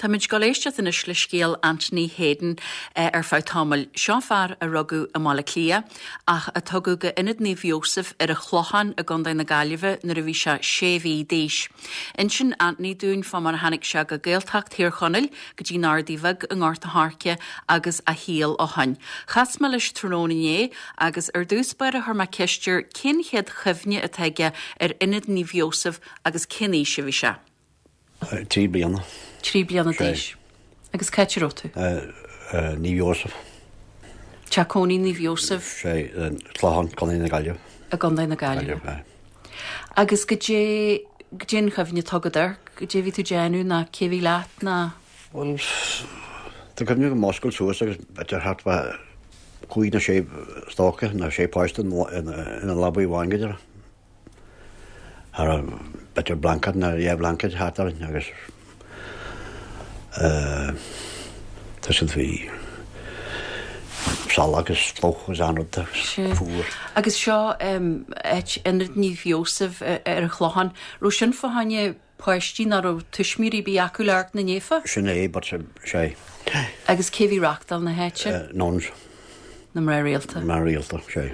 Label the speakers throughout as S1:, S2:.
S1: Táimid ag dul éisteacht anois le scéal Anthony Hayden ar feadh tamaill. Seo fear a rugadh i mBaile Átha Cliath ach a tugadh go Ionad Naomh Iósaf ar an Chlochán i gContae na Gaillimhe nuair a bhí sé sé mhí d'aois. Insíonn Anthony dúinn fá mar a tháinig sé go Gaeltacht Thír Chonaill, go dtí an Ardaidh Bhig i nGort a' Choirce agus a shaol ó shoin. Chas mé leis tráthnóna inné agus ar dtús báire chuir mé ceist air cén chéad chuimhne atá aige ar Ionad Naomh Iósaf agus cén aois a bhí sé.
S2: 3 bliana.
S1: 3 bliana d'aois. Agus cá háit a raibh tú?
S2: Naomh Iósaf.
S1: Teach cónaí Naomh Iósaf.
S2: Sé, Clochán, Contae na Gaillimhe.
S1: I gContae na Gaillimhe. Agus goidé, goidé an chuimhne atá agat air, goidé a bhí tú ag déanamh ná cé a bhí leat ná.
S2: Bhuel, tá cuimhne agam muscailt suas agus b'fhéidir thart fá chúig nó sé stoca nó sé páiste ina leabaidh amháin go deireadh. Cha raibh b'fhéidir blanket nó dhá bhlaincéad thart orainn agus tá siad bhí salach agus fliuch agus an-rud agus
S1: fuar. Agus seo áit Ionad Naomh Iósaf ar an Chlochán. Raibh sin fá choinne páistí nach raibh tuismitheoirí ar bith acu le amharc na naofa?
S2: Sin é, but sé.
S1: Agus cé bhí ag reachtáil na háite?
S2: Nuns.
S1: Na mná rialta.
S2: Mná rialta, sé.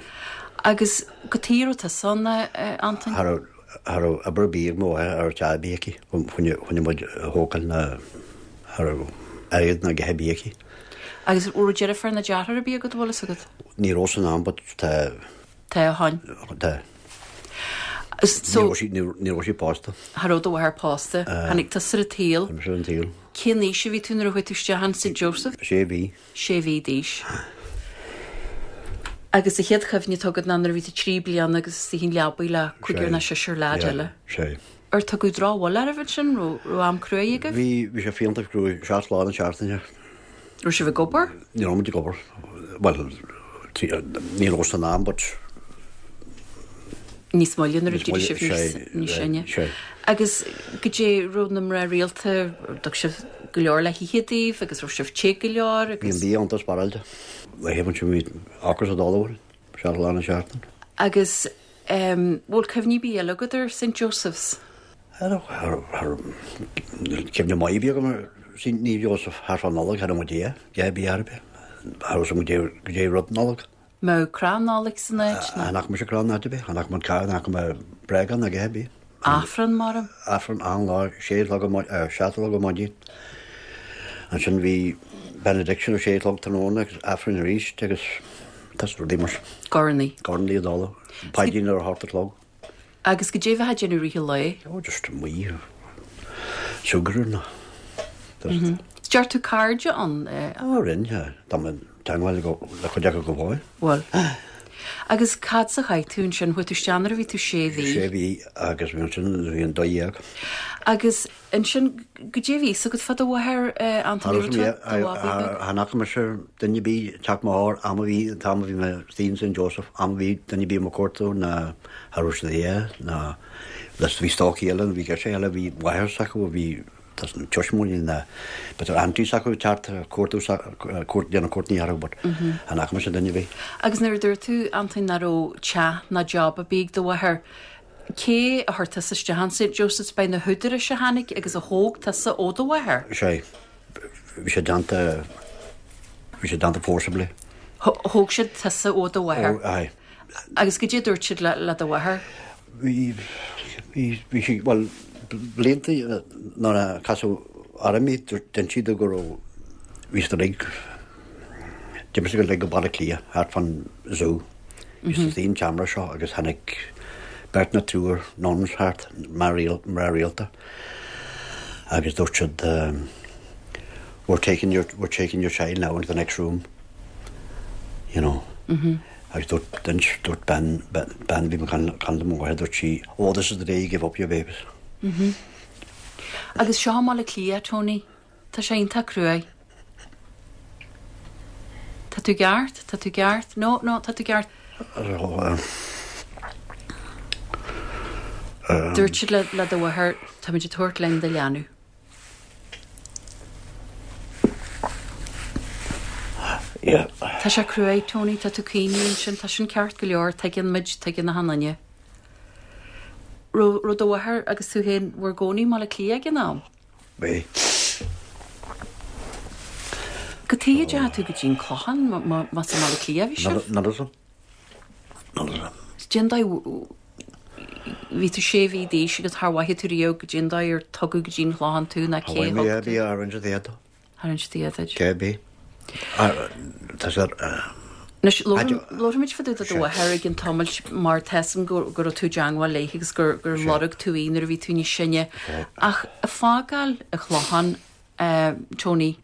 S1: Agus cad chuige a raibh tusa ann, a Antoin?
S2: Cha raibh, cha raibh obair ar bith ag mo mháthair, cha raibh teach ar bith aici, choinne muid a thógáil ná cha raibh airgead ná a dhath ar bith aici.
S1: Agus raibh deirfiúr nó deartháir ar bith agat, an bhfuil fhios agat?
S2: Ní raibh san am, but tá.
S1: Tá ó shoin.
S2: Tá. So, ní raibh sí pósta.
S1: Cha raibh do mháthair pósta. Tháinig tusa ar an tsaol.
S2: Tháinig mise ar an tsaol.
S1: Cén aois a bhí tú nuair a chuaigh tú isteach in St Joseph?
S2: Sé mhí.
S1: Sé mhí d'aois. Agus an chéad chuimhne atá agat ná nuair a bhí tú 3 bliana agus istigh in leabaidh le cúigear nó seisear leaid eile.
S2: Sé.
S1: Ar tugadh drochbhuille oraibh ansin? Raibh am cruaidh agaibh?
S2: Bhí, bhí sé fiánta cruaidh, seacht lá na seachtaine.
S1: Raibh sibh ag obair?
S2: Ní raibh muid ag obair. Bhuel, ní raibh san am but.
S1: Níos moille nuair a d'éirigh sibh níos sine. Agus goidé raibh na mná rialta, dtug sibh go leor le hithe daoibh agus raibh sibh te go leor
S2: agus. Bhí an bia iontach spáráilte. Laethe ansin bhí ocras ag dul orainn, seacht lá na seachtaine.
S1: Agus bhfuil cuimhní ar bith eile agat ar St Joseph's?
S2: Cuimhne maith a bhí agam ar Naomh Iósaf thart fá Nollaig, cha raibh muid a dhath ar bith ar bith. Cha raibh muid goidé rud Nollag.
S1: Mbeadh crann Nollag san áit
S2: nó? Chan fhaca mise crann áit ar bith, chan fhaca muid carr, chan fhaca mé bréagán ná a dhath ar bith.
S1: Aifreann, mar?
S2: Aifreann achan lá, sé a chlog ar seacht a chlog ar maidin. Ansin bhí benediction ar sé a chlog tráthnóna agus Aifreann arís agus tá rudaí mar sin.
S1: Cornaí.
S2: Cornaí ag dul. Paidrín ar a hocht a chlog.
S1: Agus goidé a bheifeá ag déanamh i rith an lae?
S2: Oh, just amuigh, súgradh nó
S1: just. Deir tú cairde ann?
S2: Oh, rinne, yeah. Tá mé i dteangmháil le cuid acu go fóill.
S1: Bhfuil. Agus cad as a chaith tú ansin? Chuaigh tú isteach nuair a bhí tú sé mhí?
S2: Sé mhí agus bhí ansin nuair a bhí an 12.
S1: Agus Ansin, goidé a bhí fhios agat fá do mháthair, Anthony, raibh tú do bhabaí
S2: beag? Chan fhaca mise duine ar bith ag teacht mo thóir am a bhí, an t-am a bhí mé istigh in St Joseph, am a bhí duine ar bith mo chuartú ná cha raibh siad aige ná leis bhí stócaigh eile nó bhí girseach eile bhí máthair s'acu a bhí tuismitheoirí ná b'fhéidir aunties s'acu ag teacht cuartú cuairt déanamh cuairteanna orthu but chan fhaca mise duine ar bith.
S1: Agus nuair a dúirt tú, Antoin, nach raibh teach ná job ar bith ag do mháthair, Cé a chuir tusa isteach in St Joseph's? B'é na húdaráis a tháinig agus a thóg tusa ó do mháthair?
S2: Sé. Bhí sé déanta, bhí sé déanta forcibly.
S1: Thóg siad tusa ó do mháthair?
S2: Ó, aye.
S1: Agus goidé a dúirt siad le, le do mháthair?
S2: Bhí, bhí, bhí sí, bhuel, blianta nuair a casadh orm í, d'inis sí domh go raibh, bhí siad uilig, d'imigh siad uilig go Baile Átha Cliath, thart fán zoo. Bhí siad istigh an tseomra seo agus tháinig beirt nó triúr nuns thart, mná rialta, agus dúirt siad we're taking your, we're taking your child now into the next room, you know. Agus dúirt, d'inis, dúirt bean, bean a bhí ag caint le mo mháthair, dúirt sí, oh this is the day you give up your babies.
S1: Agus seo i mBaile Átha Cliath, Tony. Tá sé iontach cruaidh. Tá tú ceart, tá tú ceart, no, no, tá tú ceart. Dúirt siad le, le do mháthair, táimid ag tabhairt linn do leanbh.
S2: Yeah.
S1: Tá sé cruaidh, Tony, tá tú ag caoineadh ansin, tá sin ceart go leor, tuigeann muid, tuigeann achan duine. Raibh, raibh do mháthair agus tú féin bhur gcónaí i mBaile Átha Cliath ag an am?
S2: Bhí.
S1: Cad chuige a dteachaigh tú go dtí an Clochán más i mBaile Átha Cliath a bhí sibh?
S2: Níl 'fhios a'm. Níl 'fhios a'm.
S1: Cén dóigh, bhí tú sé mhí d'aois agus char mhaithigh tú riamh goidé an dóigh ar tugadh go dtí an Clochán tú ná cé
S2: thug
S1: tú.
S2: Bhí ar inse duit.
S1: Char inis Dia duit.
S2: Cé bith. Tá sé.
S1: Anois, labharfaimid fá dtaobh de do mháthair i gcionn tamaill mar tá 'fhios a'm go raibh tú i dteangmháil léi agus gur lorg tú í nuair a bhí tú níos sine. Ach ag fágáil an Chlocháin, Tony,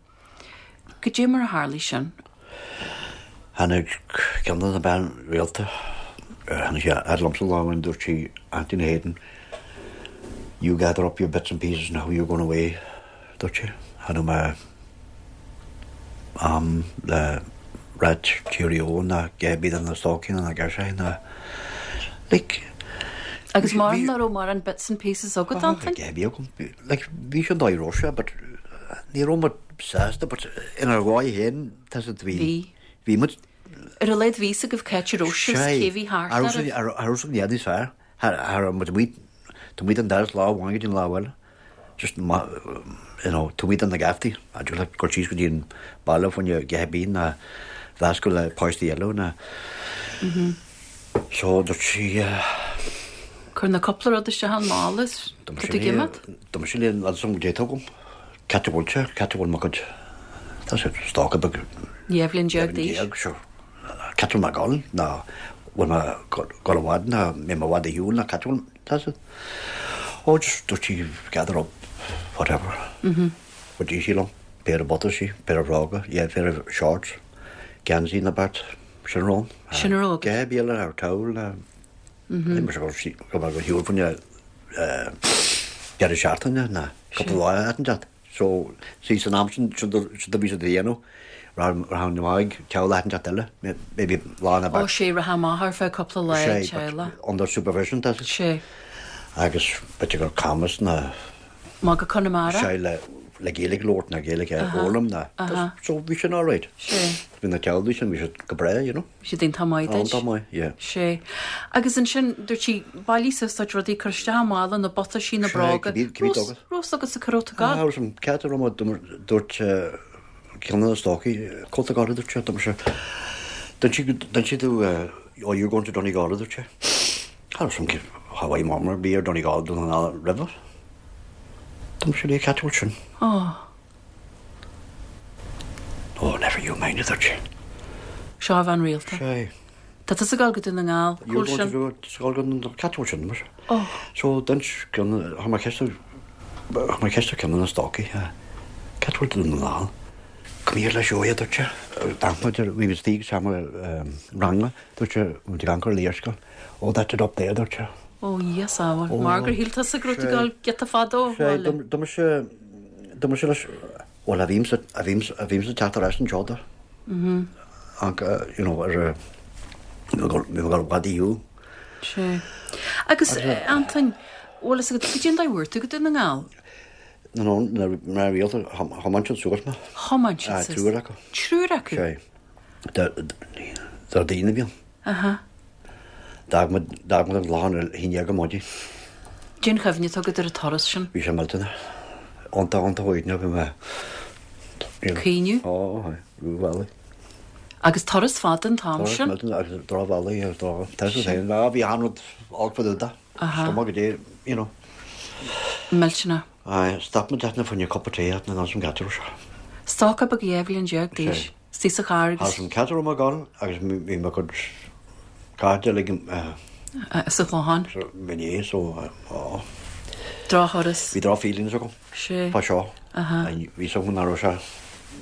S1: goidé mar a tharlaigh sin?
S2: Tháinig ceann de na bean rialta, tháinig sí a fhad liomsa lá amháin, dúirt sí, Anthony Hayden, you gather up your bits and pieces now, you're going away. Dúirt sé, Cha raibh mé am le ráit cheerio ná a dhath ar bith do na stócaigh ná na girseachaí ná like.
S1: Agus mar nach raibh mórán bits and pieces agat, Antain?
S2: A dhath ar bith agam. Like bhí sé an dóigh a raibh sé but ní raibh muid sásta but inár dhóigh féin tá 'fhios a'd bhí.
S1: Bhí.
S2: Bhí muid.
S1: Ar a laghad bhí 'fhios agaibh cá háit a raibh sibh 's cé bhí thart
S2: oraibh. Cha raibh san i bhfad níos fearr. Cha raibh muid amuigh, taobh amuigh den doras lá amháin go dtí an lá eile. Just you know, taobh amuigh de na geaftaí, a dúirt leat gur síos go dtí an baile fá choinne a dhath ar bith ná mheascadh le páistí eile ná. So dúirt sí.
S1: Cuir na cúpla rud isteach i mála is tá tú ag imeacht.
S2: D'imigh sí linn agus an dé tugam, cá háit a bhfuil sé, cá háit a bhfuil mo chuid, tá sé stoca beag.
S1: 12 bhliain d'aois.
S2: Sure. Cá háit a bhfuil mé ag dul ná bhfuil mé ag dul i bhfad ná mbeidh mé i bhfad ar shiúl ná cá háit a bhfuil, tá 'fhios a'd. Oh just dúirt sí gather up whatever. Chuidigh sí liom, péire buataisí, péire bhróga, yeah, péire shorts, geansaí na beart, sin a raibh ann.
S1: Sin a raibh agat.
S2: A dhath ar bith eile, ar towel ná, ní mar go raibh sí, go raibh mé ar shiúl fá choinne deireadh seachtaine ná cúpla lá at an deat. So, see, san am sin, sin do bhí siad a dhéanamh, rachainn amach ag teaghlach inteacht eile, maybe lá ná
S1: Ó, sé, rachfá amach ar feadh cúpla lá ag teaghlach.
S2: Under supervision, tá sé.
S1: Sé.
S2: Agus b'fhéidir gur Camas ná.
S1: Má go Conamara.
S2: Sé, le, le Gaeilge a labhairt ná Gaeilge a fhoghlaim ná. So, bhí sin alright.
S1: Sé.
S2: Bhí na teaghlaigh sin, bhí siad go breá, you know.
S1: Bhí siad iontach maith duit.
S2: Iontach maith, yeah.
S1: Sé. Agus ansin, dúirt sí, bailigh suas do chuid rudaí, cuir isteach i mála, na buataisí, na bróga.
S2: Sé, cibé
S1: Raibh 'fhios agatsa cá raibh tú ag
S2: gabháil. Raibh 'fhios a'm cá háit a raibh mé, dúirt ceann de na stócaigh, cá bhfuil tú ag gabháil, a dúirt sé, dúirt mise, d'inis sí domh, oh you're going to Donegal, a dúirt sé. Cha raibh 'fhios a'm cha bhfaigh m'am ar bith ar Donegal Dún na nGall roimhe. Dúirt mise léi, cá háit a bhfuil sin?
S1: Oh.
S2: Oh, never you mind, a dúirt sé.
S1: Seo a bhean rialta.
S2: Sé.
S1: Tá tusa ag gabháil go Dún na nGall, cá bhfuil sin?
S2: You're going to go Dún na Gall, cá bhfuil sin, mise.
S1: Oh.
S2: So, d'inis ceann, chuir mé ceist ar, chuir mé ceist ar ceann de na stócaigh, cá bhfuil Dún na nGall? Come here leis a dúirt sé. D'amharc muid ar, bhí muid istigh sa seomra ranga, dúirt sé, muid ag amharc ar an léarscáil. Oh, that's it up there, a dúirt sé.
S1: Ó, Dhia sábháil. Mar gur shíl tusa go raibh tú ag gabháil giota fada ó
S2: Sé,
S1: bhaile.
S2: dúirt mise, dúirt mise leis, bhuel, a bhímse, a bhímse, a bhímse ag teacht ar ais anseo do. Ach, you know, ar a, bhí mé ag dul i bhfad ar shiúl.
S1: Sé. Agus, Antain, bhfuil fhios agat, goidé an dóigh a bhfuair tú go Dún na nGall?
S2: No, no, na mná rialta, thiomáin siad suas mé.
S1: Thiomáin siad suas.
S2: Triúr acu.
S1: Triúr acu?
S2: Sé. Déardaoin a bhí ann.
S1: Aha.
S2: D'fhág muid, d'fhág muid an Clochán ar a haon dhéag ar maidin.
S1: Cén chuimhne atá agat ar an turas sin?
S2: Bhí sé millteanach. Iontach, iontach uaigneach bhí mé.
S1: Caoineadh?
S2: Ó, aye, ró-bhealaigh.
S1: Agus turas fada an t-am
S2: sin? Turas millteanach agus drochbhealaigh agus droch, tá sé féin, bhí achan rud olc fá dtaobh de.
S1: Aha.
S2: Is cuma goidé, you know.
S1: Millteanach.
S2: Aye, stop muid fá choinne cup of tea at na an gceathrú seo.
S1: Stoca beag 12 bhliain d'aois.
S2: Sé.
S1: Istigh sa charr agus.
S2: As an gceathrú mé ag gabháil agus bhí mo chuid cairde uilig
S1: Sa Chlochán.
S2: I mo dhiaidh so á.
S1: Drochthuras.
S2: Bhí droch feelings agam.
S1: Sé.
S2: Fá seo.
S1: Aha.
S2: Bhí 's agam nach raibh sé,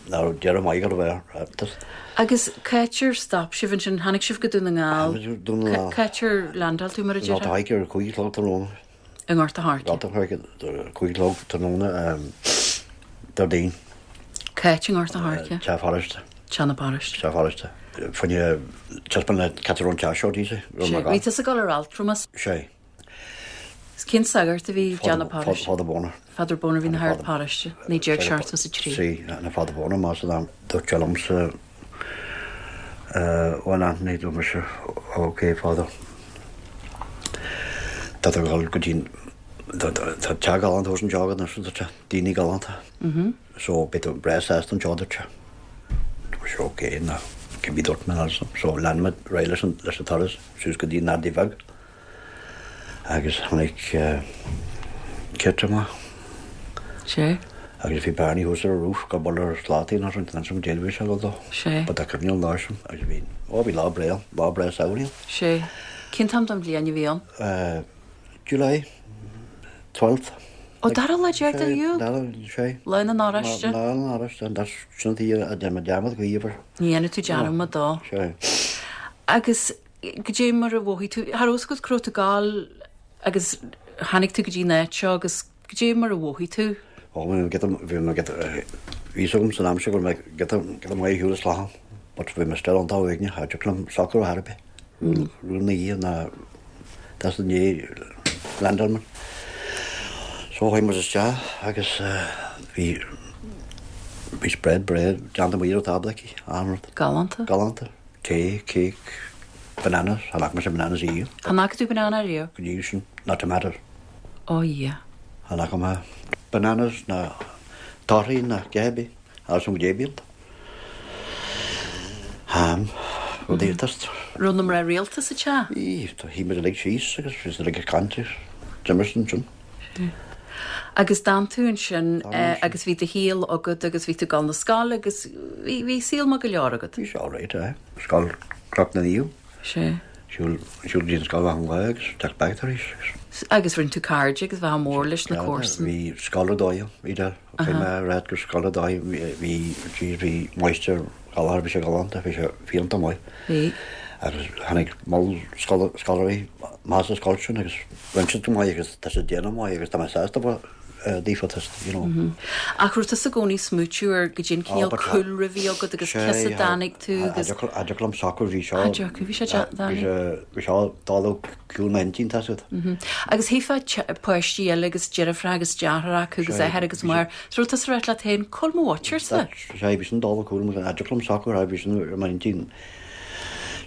S2: nach raibh deireadh maith ag gabháil a bheith.
S1: Agus cá háit ar stop sibh ansin, tháinig sibh go Dún na nGall.
S2: Tháinig muid go Dún na nGall.
S1: Cá háit ar landáil tú mar a
S2: déarfá? I nGort a' Choirce ar 5 a chlog tráthnóna.
S1: I nGort a' Choirce.
S2: Gort a' Choirce, 5 a chlog tráthnóna Déardaoin.
S1: Cá háit i nGort a' Choirce?
S2: Teach pharóiste.
S1: Teach na paróiste.
S2: Teach pharóiste. Fá choinne taispeáint le cá háit a raibh an teach seo, d'íos é.
S1: Sé, bhí tusa ag dul ar altramas.
S2: Sé.
S1: Is cén sagart a bhí i dteach na paróiste?
S2: Father Boner.
S1: Father Boner bhí ina shagart paróiste, 1973.
S2: Sí, na Father Boner, más ea, dúirt sé liomsa, bhuel Anthony, dúirt mise, ok Father, tá tú ag dul go dtí, tá teach galánta thuas anseo agat anois, dúirt sé, daoine galánta. So beidh tú breá sásta anseo, dúirt sé. Bhí sé ok ná cibé dúirt mé ansan. So lean muid ar aghaidh leis an leis an turas suas go dtí an Adaí Bheag agus tháinig Kit amach.
S1: Sé.
S2: Agus bhí Barney thuas ar an roof ag bualadh ar shlátaí nó sin ansan goidé bhí sé ag dul dó.
S1: Sé.
S2: But tá cuimhne an lá sin agus bhí, ó bhí lá breá, lá breá samhraidh ann.
S1: Sé. Cén t-am den bhliain a bhí ann?
S2: July 12th.
S1: Ó, dara lá déag de Iúil?
S2: Dara, sé.
S1: Lá na nOráiste.
S2: Lá na nOráiste, and that's sin an t-oíche a dhein mé dearmad go híomhar.
S1: Ní dhéanfaidh tú dearmad dó.
S2: Sé.
S1: Agus goidé mar a mhothaigh tú, cha raibh fhios agat cá raibh tú ag gabháil agus tháinig tú go dtí an áit seo agus goidé mar a mhothaigh tú?
S2: Ó, bhí mé giota, bhí mé giota, bhí fhios agam san am sin go raibh mé giota, giota maith ar shiúl as Clochán, but bhí mé still iontach uaigneach, cha dtiocfadh liom socrú ar chor ar bith. Rún na oíche ná that's the ndiaidh landáil muid. So chuaigh muid isteach agus bhí bhí spread breá déanta amuigh ar an tábla aici, an-rud.
S1: Galánta.
S2: Galánta. Tae, cake, bananas, chan fhaca mise bananas riamh.
S1: Chan fhaca tú banana riamh?
S2: Go dtí sin, ná tomatoes.
S1: Ó Dhia.
S2: Chan fhaca mé bananas ná torthaí ná a dhath ar bith. Agus an gréibíonta. Ham, rudaí just.
S1: Raibh na mná rialta sa teach?
S2: Bhí, shuigh muid uilig síos agus bhí siad uilig ag caint agus d'imir siad ansin.
S1: Sea. Agus d'fhan tú ansin agus bhí do shaol agat agus bhí tú ag dul na scoile agus bhí, bhí saol maith go leor agat.
S2: Bhí sé alright, aye. Scoil Chnoc na Naomh.
S1: Sea.
S2: Siúl, siúl go dtí an scoil achan lá agus teacht back tar éis agus.
S1: Agus rinne tú cairde agus bheifeá mór leis na comharsana.
S2: Bhí scoil ar dóigh ann, Edel. Caithfidh mé a rá gur scoil ar dóigh, bhí, jeez, bhí máistir Gallagher, bhí sé galánta, bhí sé fiúntach maith.
S1: Bhí.
S2: Agus tháinig moll scoláirí amach as an scoil sin agus rinne siad go maith agus tá siad ag déanamh maith agus tá mé sásta daofa, you know.
S1: Ach raibh tusa i gcónaí ag smaoitiú ar goidé an cineál cúlra a bhí agat agus cé as a dtáinig tú agus.
S2: Cha dtiocfadh liom socrú, bhí seo.
S1: Cha dtiocfadh, bhí sé deacair.
S2: Bhí seo dul ó chúl m'intinn, tá siad.
S1: Agus tchífeá páistí eile agus deirfiúracha agus deartháireacha acu agus athair agus máthair. So raibh tusa ag ráit leat féin, cá bhfuil mo mhuintirse?
S2: Sea, bhí sin dul ó chúl mo, cha dtiocfadh liom socrú, bhí sin ar m'intinn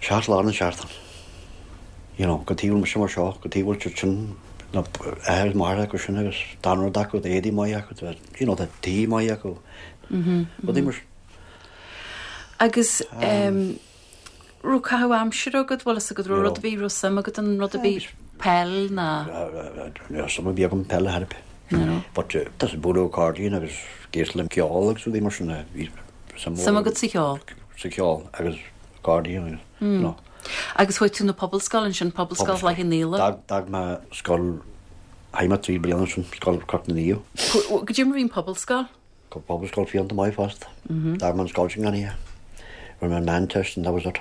S2: seacht lá na seachtaine. You know, cad chuige a bhfuil mise mar seo, cad chuige a bhfuil siad sin, na athair is máthair acu sin agus tá an rud acu, tá éadaí maith acu, tá, you know, tá tithe maith acu. Rudaí mar sin.
S1: Agus raibh caitheamh aimsire agat, bhfuil fhios agat, raibh rud ar bith, raibh suim agat in rud ar bith, peil ná?
S2: Ní raibh suim ar bith agam peil ar bith. But tá sé bualadh accordion agus ag éisteacht le ceol agus rudaí mar sin, bhí
S1: suim Suim agat sa cheol?
S2: Sa cheol agus accordion agus, you know.
S1: Agus chuaigh tú na Pobalscoil ansin, Pobalscoil Chloich Cheann Fhaola?
S2: D'fhág mé scoil, chaith mé 3 bliana ansin, Scoil Chnoc na Naomh.
S1: Goidé mar a bhí an Pobalscoil?
S2: Tá Pobalscoil fiúntach maith fosta. D'fhág mé an scoil sin gan oíche. Rinne mé an Meánteist and that was it.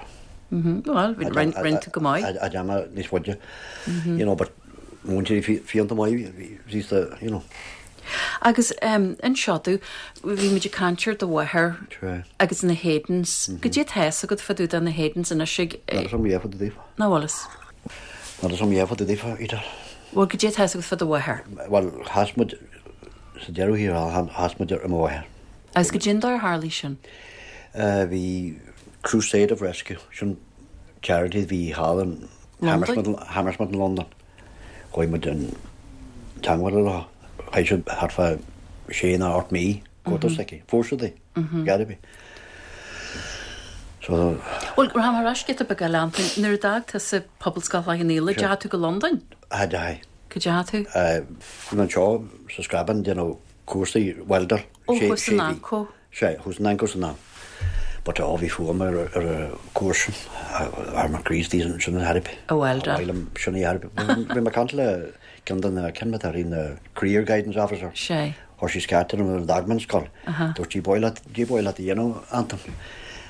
S1: Bhuel, rinne tú go maith.
S2: A dhéanamh níos faide. You know, but múinteoirí fiúntach maith, bhí siad, you know.
S1: Agus anseo tú, bhí muid ag caint ar do mháthair agus na Haydens. Goidé atá fhios agat fá dtaobh de na Haydens anois ag.
S2: Níl a fhios agam a dhath fá dtaobh daofa.
S1: Nach bhfuil fhios?
S2: Níl a fhios agam a dhath fá dtaobh daofa, Edel.
S1: Bhuel, goidé atá fhios agat fá do mháthair?
S2: Bhuel, chas muid, sa deireadh thiar thall, chas muid ar mo mháthair.
S1: Agus goidé an dóigh ar tharlaigh sin?
S2: Bhí Crusade of Rescue, sin charity a bhí thall in Hammersmith in Londain. Chuaigh muid i dteangmháil leo. Chaith siad thart fá sé nó 8 mí cuartú s'aici. Fuair siad í, gar ar bith.
S1: So. Bhuel, rachaidh mé ar ais giota beag eile, Antain. Nuair a d'fhág tusa Pobalscoil Chloich Cheann Fhaola, deachaigh tú go Londain?
S2: Cha dteachaigh.
S1: Cá dteachaigh tú?
S2: Bhí mé anseo sa Screabán ag déanamh cúrsaí welder.
S1: Ó, thuas in Anco.
S2: Sea, thuas in Anco san am. But ó, bhí fuath agam ar an gcúrsa sin. Ar mo Chríostaí sin a thairb.
S1: A welder.
S2: Ba mhaith liom sin a thairb. Bhí mé ag caint le ceann de na, cén mar a na career guidance officer.
S1: Sea.
S2: Chuir sí scairt orm nuair a d'fhág mé an scoil. Dúirt sí, ba mhaith leat, goidé ba mhaith leat a dhéanamh, Antain.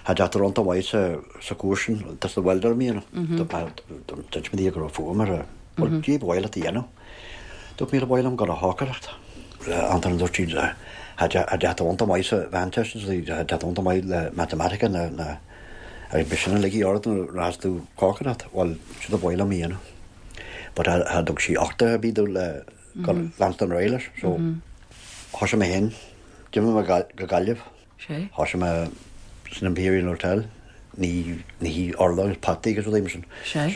S2: Cha dteacht ar iontu mhaith sa, sa chúrsa sin, just the welder a dhéanamh. Dúirt mé di go raibh fuath agam ar, bhuel, goidé ba mhaith leat a dhéanamh. Dúirt mé, ba mhaith liom dul a chócaireacht. Antain, dúirt sí, cha dteacht ar iontu maith sa Mheánteist, cha dteacht iontu maith le matematica na, na, agus b'shin a ligfidh ort nuair a rachas tú cócaireacht. Bhuel, sin a ba mhaith liom a dhéanamh. But cha dtug sí uchtach ar bith domh le leanstan ar aghaidh leis. So, thosaigh mé féin, d'imigh mé go Gaillimh. Thosaigh mé san Imperial Hotel, ní ní urlár agus potaí agus rudaí mar sin.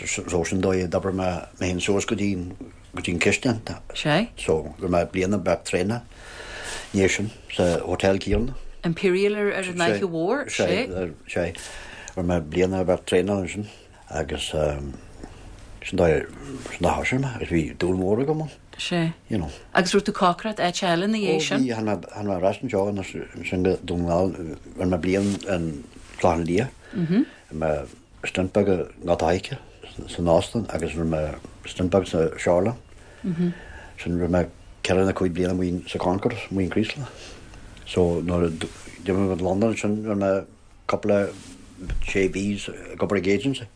S2: So sin dóigh a d'oibrigh mé mé féin suas go dtí go dtí an chistin. So, rinne mé bliana beag traenála i ndiaidh sin sa hotel céanna.
S1: Imperial ar an Fhaiche Mhór,
S2: sé. Sé. Rinne mé bliain ar bheith traenáil ansin agus sin dóigh, sin dóigh a thosaigh mé agus bhí dúil mhór agam ann.
S1: Sé.
S2: You know.
S1: Agus raibh tú ag cócaireacht áit eile ina dhiaidh sin?
S2: Ó bhí, tháinig mé, tháinig mé ar ais anseo ansin go Dún na nGall, rinne mé bliain in Clochán Liath. Rinne mé stint beag i nGort a' Choirce san óstán agus rinne mé stint beag sa Shoreline. Sin rinne mé ceithre nó cúig bliana amuigh sa Concorde, amuigh in Creeslough. So nuair a d'imigh mé go Londain ansin rinne mé cúpla sé mhí ag obair ag agency.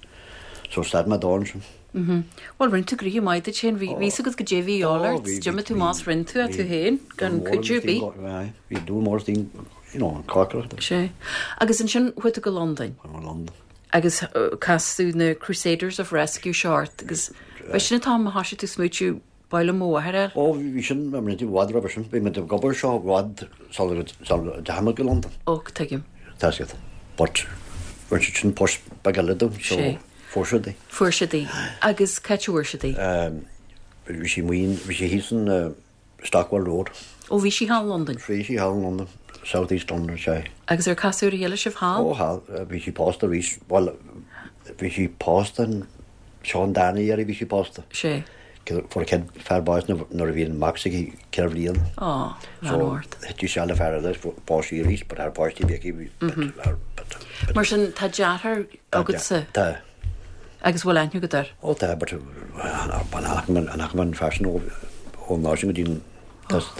S2: So stad mé dó ansin.
S1: Bhuel rinne tú gnoithe maith duit féin, bhí fhios agat goidé a bhí a dhíobháil ort, d'imigh tú amach is rinne tú é tú féin gan cuidiú ar
S2: bith. Bhí dúil mór istigh, you know, an cócaireacht.
S1: Sé. Agus ansin chuaigh tú go Londain.
S2: Chuaigh mé go Londain.
S1: Agus casadh na Crusaders of Rescue seo ort agus ba sin an t-am a thoisigh tú smaoitiú ba mhaith liom mo mháthair a fháil.
S2: Ó bhí sin, bhí muid i bhfad roimhe sin, bhí muid ag obair seo i bhfad sula dteachaigh muid go Londain.
S1: Ó, tuigim.
S2: Tá siad. But rinne siad sin post beag eile dom so fuair siad í.
S1: Fuair siad í. Agus cá háit a bhfuair siad í?
S2: Bhí sí amuigh, bhí sí thíos in Stockwell Road.
S1: Ó bhí sí thall i Londain?
S2: Bhí sí thall i Londain, South East London, sea.
S1: Agus ar casadh ar a chéile sibh thall?
S2: Ó thall, bhí sí pósta arís, bhuel, bhí sí pósta an, seo an darna iarraidh a bhí sí pósta.
S1: Sea.
S2: Fuair a céad fear bás nuair a bhí an mac s'aici ceithre bhliain.
S1: Ó, lean ort.
S2: So, thit sí isteach le fear eile, phós sí arís, but thar páistí a bhí aici, bhí, but,
S1: but, but. Mar sin, tá deartháir agatsa?
S2: Tá.
S1: Agus bhfuil aithne agat air?
S2: Ó tá, but an fhaca mé an fear sin ón lá sin go dtí an tost.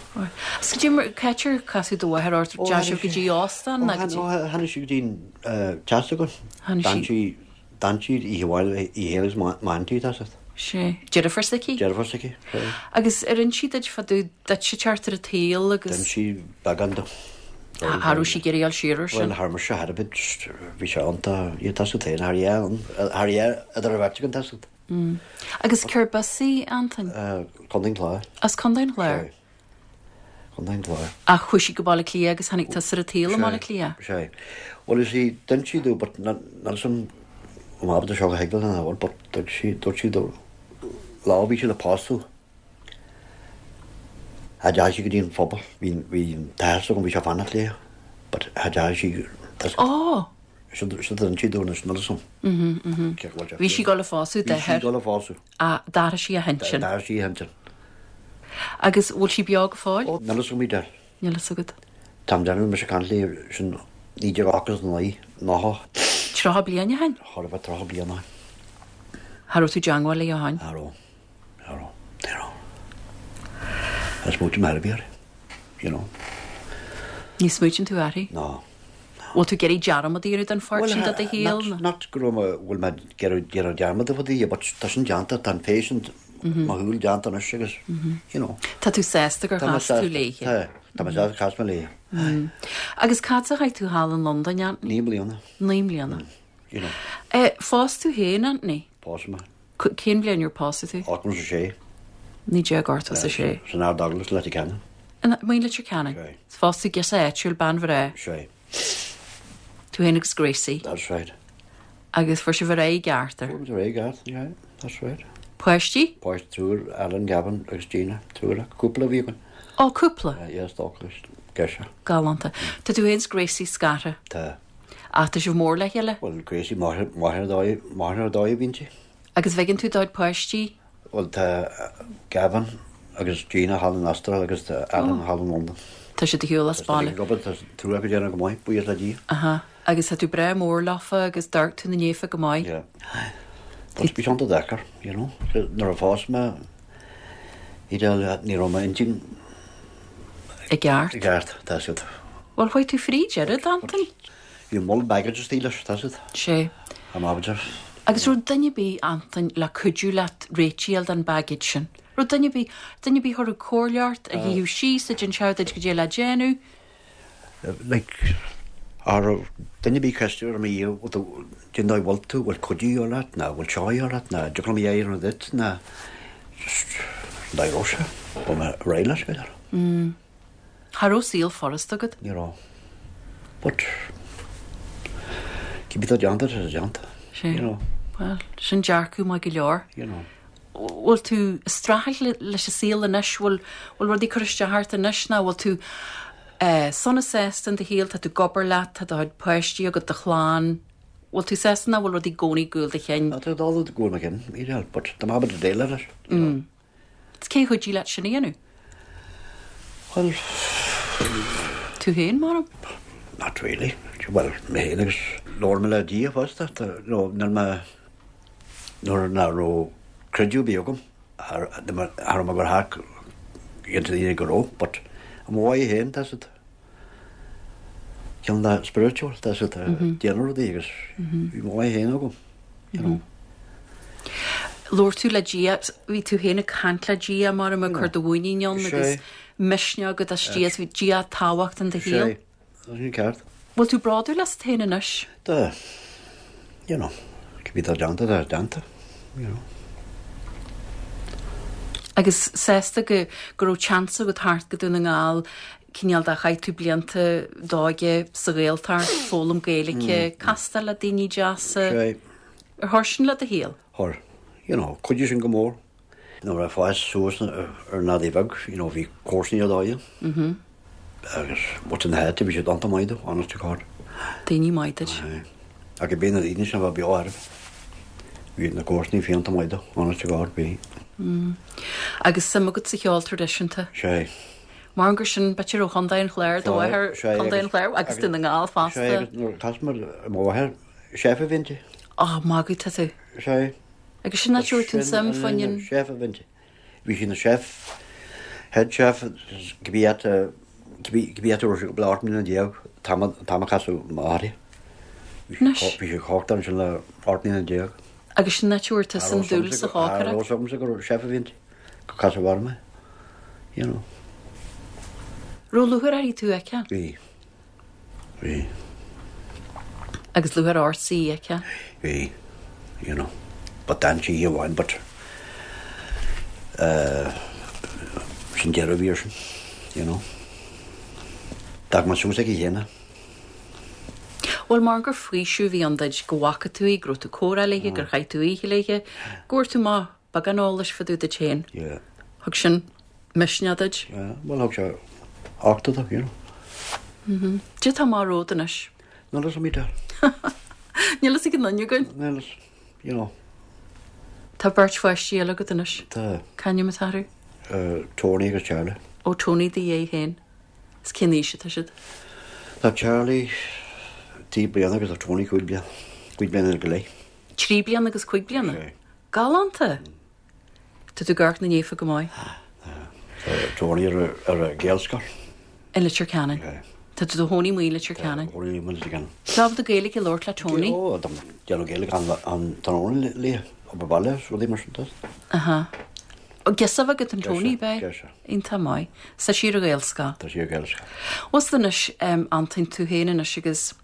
S1: Is cad é mar, cá háit ar casadh do mháthair ort, deachaigh sibh go dtí óstán
S2: nó go dtí? Ó tháinig sí go dtí an teach s'againn.
S1: Tháinig sí.
S2: D'fhan sí, d'fhan sí oíche amháin, í féin agus m'aintín, tá 'fhios agat.
S1: Sé. Deirfiúr s'aici?
S2: Deirfiúr s'aici,
S1: sé. Agus ar inis sí duit fá dtaobh duitse teacht ar an tsaol agus.
S2: D'inis sí beagán domh.
S1: Cha raibh sí ag iarraidh a dhul siar ar sin.
S2: Bhuel, char mise thar a bit, bhí sé iontach, tá 'fhios agat féin, thar dhea ann, thar dhea idir an bheirt againn, tá 'fhios agat.
S1: Agus cérb as í, Antain?
S2: Contae an Chláir.
S1: As Contae an Chláir?
S2: Sé. Contae an Chláir.
S1: Ach chuaigh sí go Baile Átha Cliath agus tháinig tusa ar an tsaol i mBaile Átha Cliath?
S2: Sé. Bhuel, you see, d'inis sí domh, but níl 'fhios a'm an ábalta seo a thuigbheáil nó nach bhfuil, but dúirt sí, dúirt sí domh, lá a bhí sí le pósadh, cha dteachaigh sí go dtí an phobal, bhí, bhí an t-athair s'agam, bhí sé ag fanacht léi, but cha dteachaigh sí,
S1: tá Ó!
S2: Sin a d'inis sí domh anois, níl 'fhios a'm.
S1: Bhí sí ag dul a phósadh
S2: d'athair. Bhí sí ag dul a phósadh.
S1: Ach d'athraigh sí a hintinn.
S2: D'athraigh sí a hintinn.
S1: Agus bhfuil sí beo go fóill?
S2: Ó, níl 'fhios a'm Edel.
S1: Níl 'fhios agat.
S2: Táim déanamh mise ag caint léi sin 1989, 90.
S1: 30 bliain ó shin?
S2: Chóir a bheith 30 bliain ó shin.
S1: Cha raibh tú i dteangmháil léi ó shin?
S2: Cha raibh. Cha raibh. Ní raibh. Ní smaoiním ar bith uirthi, you know.
S1: Ní smaoitíonn tú uirthi?
S2: Ná.
S1: Bhfuil tú ag iarraidh dearmad a dhéanamh den pháirt sin de do shaol?
S2: Well, not go raibh mé, bhfuil mé ag iarraidh déanamh dearmad de bhudaí, but tá sin déanta, tá an féith sin mo shúil déanta anois agus, you know.
S1: Tá tú sásta gur chas tú léi?
S2: Tá, tá mé sásta gur chas mé
S1: léi. Agus cad as a chaith tú thall in Londain, Anthony?
S2: 9 mbliana.
S1: 9 mbliana.
S2: You know.
S1: Phós tú féin, Anthony?
S2: Phós mé.
S1: Cén bhliain ar pósadh tú?
S2: 86.
S1: 1986.
S2: San Ard Eaglais, Leitir Ceanainn.
S1: Amuigh in Leitir Ceanainn?
S2: Sea.
S1: Phós tú girseach áitiúil, bean bhreá.
S2: Sea.
S1: Tú féin agus Gracie.
S2: That's right.
S1: Agus fuair sibh ar aghaidh i gceart
S2: ar? Fuair muid ar aghaidh i gceart, yeah, that's right.
S1: Páistí?
S2: Páistí, triúr, Alan, Gavin agus Gina, triúr acu. Cúpla a bhí againn.
S1: Ó, cúpla?
S2: Yes, dócha, girseach.
S1: Galánta. Tá tú féin is Gracie scartha?
S2: Tá.
S1: Ach tá sibh mór le chéile?
S2: Bhuel, Gracie, máthair, máthair ar dóigh, máthair ar dóigh a bhíonn sí.
S1: Agus an bhfeiceann tú do chuid páistí?
S2: Bhuel, tá Gavin agus Gina thall in Astráil agus tá Alan thall in Londain.
S1: Tá siad ar shiúl as baile.
S2: Tá siad ag obair, tá triúr acu ag déanamh go maith, buíochas le Dia.
S1: Aha. Agus tá tú breá mór leofa agus d'amharc tú 'na ndiaidh go maith.
S2: Yeah. But bhí sé an-deacair, you know. Nuair a phós mé, Edel, ní raibh m'intinn
S1: i gceart.
S2: I gceart, tá 'fhios agat.
S1: Bhuel, chuaigh tú fríd oiread, Antain.
S2: Bhí moll baggage istigh leis, tá 'fhios agat.
S1: Sé.
S2: Am abair.
S1: Agus raibh duine ar bith, Antain, le cuidiú leat réitigh a fháil den baggage sin? Raibh duine ar bith, duine ar bith a chuirfeadh comhairle ort, a shuífeadh síos, a d'inseodh duit goidé le déanamh?
S2: Like, cha raibh duine ar bith ceistiú ar mo dhiaidh, bhfuil tú, cén dóigh bhfuil tú, bhfuil cuidiú de dhíth ort, ná bhfuil seo de dhíth ort, ná dtig liom a dhéanamh duit, ná just an dóigh a raibh sé, bhí mé réidh leis, b'fhéidir.
S1: Mm. Cha raibh saol furasta agat?
S2: Ní raibh. But, cibé atá déanta, tá sé déanta.
S1: Sé.
S2: You know.
S1: Well, sin dearcadh maith go leor.
S2: You know.
S1: Bhfuil tú ag streachailt leis an saol anois? Bhfuil, bhfuil rudaí ag cur isteach ort anois nó bhfuil tú. Sona sásta in do shaol, tá tú ag obair leat, tá do chuid páistí agat, do chlann. Bhfuil tú sásta nó bhfuil rudaí i gcónaí ag gabháil do chinn?
S2: Tá rudaí ag gabháil mo chinn, yeah, but tá mé ábalta déileáil leis, you know.
S1: Is cé a chuidigh leat sin a dhéanamh?
S2: Bhuel...
S1: Tú féin, maram?
S2: Not really. Bhuel, mé féin agus labhair mé le Dia fosta, you know, níl mé, nuair nach raibh creideamh ar bith agam, cha raibh mé ag gabháil thart go dtí daoine go raibh, but i mo mhaith féin, tá siad. Ceann de spiritual, tá siad ag déanamh rudaí agus bhí mo mhaith féin agam, you know.
S1: Labhair tú le Dia, bhí tú féin ag caint le Dia mar ag cur do mhuinín ann agus misneach agat as Dia, bhí Dia tábhachtach in do shaol.
S2: Sea, tá sin ceart.
S1: Bhfuil tú bródúil asat féin anois?
S2: Tá, you know, cibé atá déanta, tá déanta, you know.
S1: Agus sásta go go raibh chance agat theacht go Dún na nGall, cineál de chaith tú blianta d'óige sa Ghaeltacht, foghlaim Gaeilge, castáil le daoine deasa.
S2: Sea.
S1: Ar chuir sin le do shaol?
S2: Chuir. You know, chuidigh sin go mór. Nuair a fás suas ar an Eadaigh Bheag, you know, bhí comharsanaí ar dóigh ann. Agus muintir na háite, bhí siad iontach maith domh, honest to God.
S1: Daoine maith duit.
S2: Aye. Ach bhí na daoine sin a bheith beo ar bhí na comharsanaí iontach maith domh, honest to God, bhí.
S1: Agus suim agat sa cheol traidisiúnta?
S2: Sea.
S1: Mar gur sin, b'fhéidir ó Chontae an Chláir do mháthair, Contae an Chláir agus Dún na nGall fosta.
S2: Sea, agus nuair a chas mé mo mháthair, chef a bhí inti.
S1: Á, magaidh tá tú.
S2: Sea.
S1: Agus sin áit a bhfuair tú an suim faoin an.
S2: Chef a bhí inti. Bhí sí ina chef, head chef, cibé áit, cibé áit a raibh sí ag obair 18 mbliana an t-am a casadh m'athair í.
S1: Anois.
S2: Bhí sí ag cócaireacht ansin le 18 mbliana.
S1: Agus sin áit a bhfuair tusa an dúil sa
S2: chócaireacht. Cha raibh fhios agamsa gur chef a bhí inti. Gur casadh orm é, you know.
S1: Raibh lúcháir uirthi tú a fheiceáil?
S2: Bhí. Bhí.
S1: Agus lúcháir ortsa í a fheiceáil?
S2: Bhí, you know. But d'fhan sí oíche amháin but eh sin deireadh a bhí air sin, you know. D'fhág mé suas aici féin é.
S1: Bhuel, mar gur faoiseamh a bhí ann duit go bhfaca tú í, go raibh tú ag comhrá léi, gur chaith tú oíche léi, go bhfuair tú amach beagán eolais fá dtaobh duit féin.
S2: Yeah.
S1: Thug sin misneach duit?
S2: Yeah, bhuel thug sé uchtach domh, you know.
S1: Mhm. Cad é atá amach romhat anois?
S2: Níl fhios a'm Edel.
S1: Níl fhios ag aon duine againn.
S2: Níl fhios, you know.
S1: Tá beirt pháistí eile agat anois.
S2: Tá.
S1: Cén ainm atá orthu?
S2: Tony agus Charlie.
S1: Ó Tony do dhaid féin. Is cén aois atá siad?
S2: Tá Charlie 3 bliana agus tá Tony 5 bliana, 5 bliana go leith.
S1: 3 bliana agus 5 bliana?
S2: Sé.
S1: Galánta! Tá tú ag amharc na ndaofa go maith.
S2: Tá Tony ar ar an Ghaelscoil.
S1: I Leitir Ceanainn.
S2: Sé.
S1: Tá tú i do chónaí amuigh i Leitir Ceanainn.
S2: Tá, i Leitir Ceanainn.
S1: Tá ábalta Gaeilge a labhairt le Tony?
S2: Ó, tá déanamh Gaeilge an an tráthnóna léi, obair baile, rudaí mar sin de.
S1: Aha. Ó, girseach agat an Tony,
S2: ab ea? Girseach.
S1: Iontach maith. Tá sí ar an Ghaelscoil.
S2: Tá sí ar Ghaelscoil.
S1: Bhfuil fhios anois, Antoin, tú féin anois agus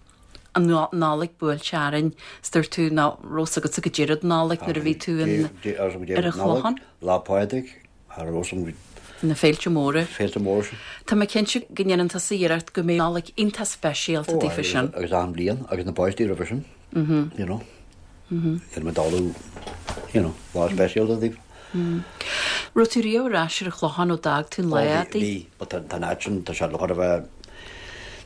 S1: an Nollaig buailte orainn, is dúirt tú nach raibh fhios agatsa go deireadh don Nollaig nuair a bhí tú in, ar an Chlochán.
S2: Lá Pádraig, cha raibh fhios agam.
S1: Na féilte móra.
S2: Féilte móra sin.
S1: Tá mé cinnte go ndéanann tusa iarracht go mbeidh Nollaig iontach speisialta daofa sin.
S2: Ó, agus achan bhliain, agus na páistí roimhe sin, you know. Déanann muid ullmhú, you know, lá speisialta daofa.
S1: Raibh tú riamh ar ais ar an Chlochán ó d'fhág tú an lá
S2: adaí? Bhí, but tá an áit sin, tá sé chóir a bheith,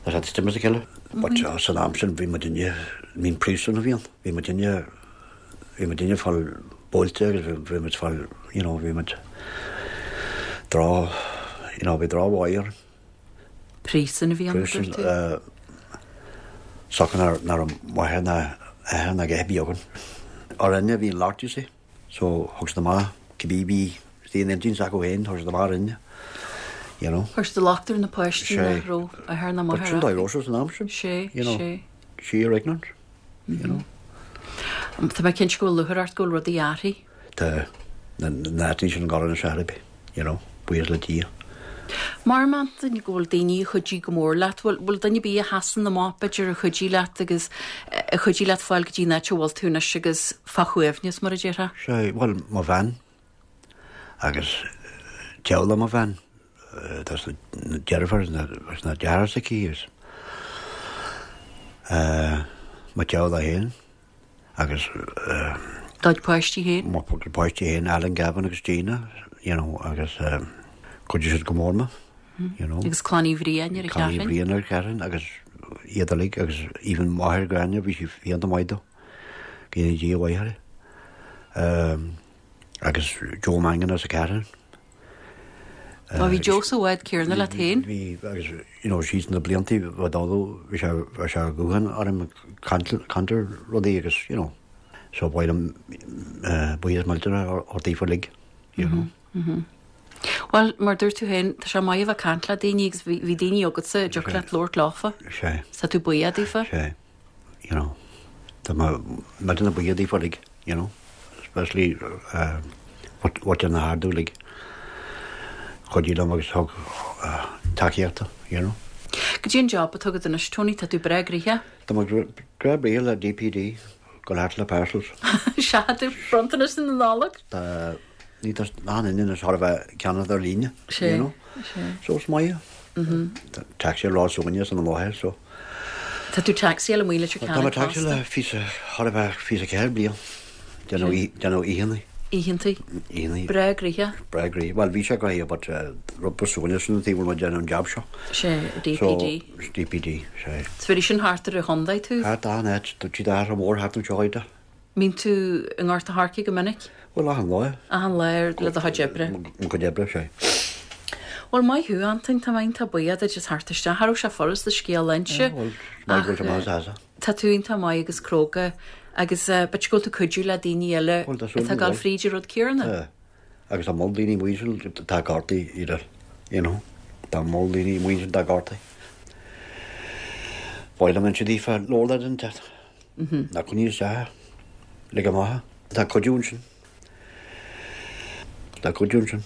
S2: tá sé istigh as a chéile. But san am sin bhí muidinne, I mean príosún a bhí ann, bhí muidinne, bhí muidinne ag fáil buailte agus bhí muid ag fáil, you know, bhí muid droch, you know, bhí drochbhail orainn.
S1: Príosún a bhí ann, dúirt tú?
S2: Siocair nach raibh máthair ná athair ná a dhath ar bith againn. Orainne a bhí an locht, you see. So thug siad amach cibé a bhí istigh in intinn s'acu féin, chuir siad amach orainne, you know.
S1: Chuir siad an locht ar na páistí nach raibh athair ná
S2: máthair
S1: acu.
S2: But sin dóigh a raibh sé san am sin.
S1: Sé,
S2: you know.
S1: sé.
S2: Sheer ignorance, you know.
S1: Tá mé cinnte go bhfuil lúcháir ort go bhfuil rudaí athraithe.
S2: Tá na áiteanna sin ag dul anois ar bith, you know, buíochas le Dia.
S1: Mar Antoin go bhfuil daoine a chuidigh go mór leat, bhfuil, bhfuil duine ar bith a sheasann amach b'fhéidir a chuidigh leat agus a chuidigh leat fáil go dtí an áit a bhfuil tú anois agus fá shuaimhneas mar a déarfá?
S2: Sea, bhuel, mo bhean agus teaghlach mo bhean, tá na deirfiúr agus na deartháir s'aici agus mo teaghlach féin. agus.
S1: Do chuid páistí
S2: féin? Mo chuid páistí féin, Alan, Gavin agus Gina, you know, agus chuidigh siad go mór mé. You know.
S1: Agus Clann Uí Bhriain ar an
S2: Clann Uí
S1: Cheathrún.
S2: Bhriain ar an Cheathrún agus iad uilig agus even máthair Ghráinne bhí sí iontach maith dó. Go ndéana Dia a mhaith uirthi. Agus Joe Mangan as an Cheathrún.
S1: Ó bhí Joe sa bhád céanna leat féin?
S2: Bhí agus you know síos na blianta bhí dó bhí sé bhí sé guthán orm ag caint caint ar rudaí agus you know so ba mhaith liom buíochas millteanach a thabhairt daofa uilig you know.
S1: Bhuel, mar dúirt tú féin, tá sé maith a bheith ag caint le daoine agus bhí bhí daoine agatsa a dtiocfadh leat labhairt leofa.
S2: Sea.
S1: Tá tú buíoch daofa?
S2: Sea. You know, tá mé millteanach buíoch daofa uilig, you know, especially uh, muintir na hArda uilig. Chuidigh liom agus thug uh, tacaíocht, you know.
S1: Goidé an job atá agat anois, Tony, tá tú breá gnoitheach?
S2: Tá mé breá gnoitheach le DPD, gabháil thart le parcels.
S1: Sea, tú bronntanais na Nollag?
S2: Tá Ní tá an duine anois thar a bheith ag ceannacht ar líne,
S1: Sé,
S2: you know.
S1: sé.
S2: So is maith é. Taxi lá suaine san an láthair, so.
S1: Tá tú taxi amuigh i Leitir
S2: Tá
S1: Ceanainn
S2: mé taxi
S1: fosta.
S2: le fiche, thar a bheith 24 bliain. Déanamh déanamh oícheannaí.
S1: Oícheantaí.
S2: Oícheannaí.
S1: Breá gnoitheach.
S2: Breá gnoitheach. Bhuel, bhí sé gnoitheach but rud ba suaine sin an taobh bhfuil mé ag déanamh an jab seo.
S1: Sé, DPD.
S2: So, DPD, sé.
S1: So bhí sin thart ar an chontae tú?
S2: Thart achan áit, tá siad athrú mór thart anseo iad.
S1: Mbíonn tú i nGort a' Choirce go minic?
S2: Bhuel, achan lá.
S1: Achan lá le do chuid oibre?
S2: Mo chuid oibre, sea.
S1: Bhuel, maith thú, Antoin, tá mé iontach buíoch duit as theacht isteach. Cha raibh sé furast do scéal a inse
S2: Bhuel, maith go bhfuil sé maith as asa.
S1: tá tú iontach maith agus cróga agus b'fhéidir go bhfuil tú cuidiú le daoine eile
S2: Bhuel, tá súil
S1: atá ag
S2: agam
S1: dul fríd an rud céanna.
S2: Tá. Agus tá moll daoine amuigh ansin atá gortaithe, you know, you know. Tá moll daoine amuigh ansin atá gortaithe. Ba mhaith liom inse daofa labhair le duine inteacht. Ná coinnigh isteach é. Lig amach é. Tá cuidiú ansin. Tá cuidiú ansin.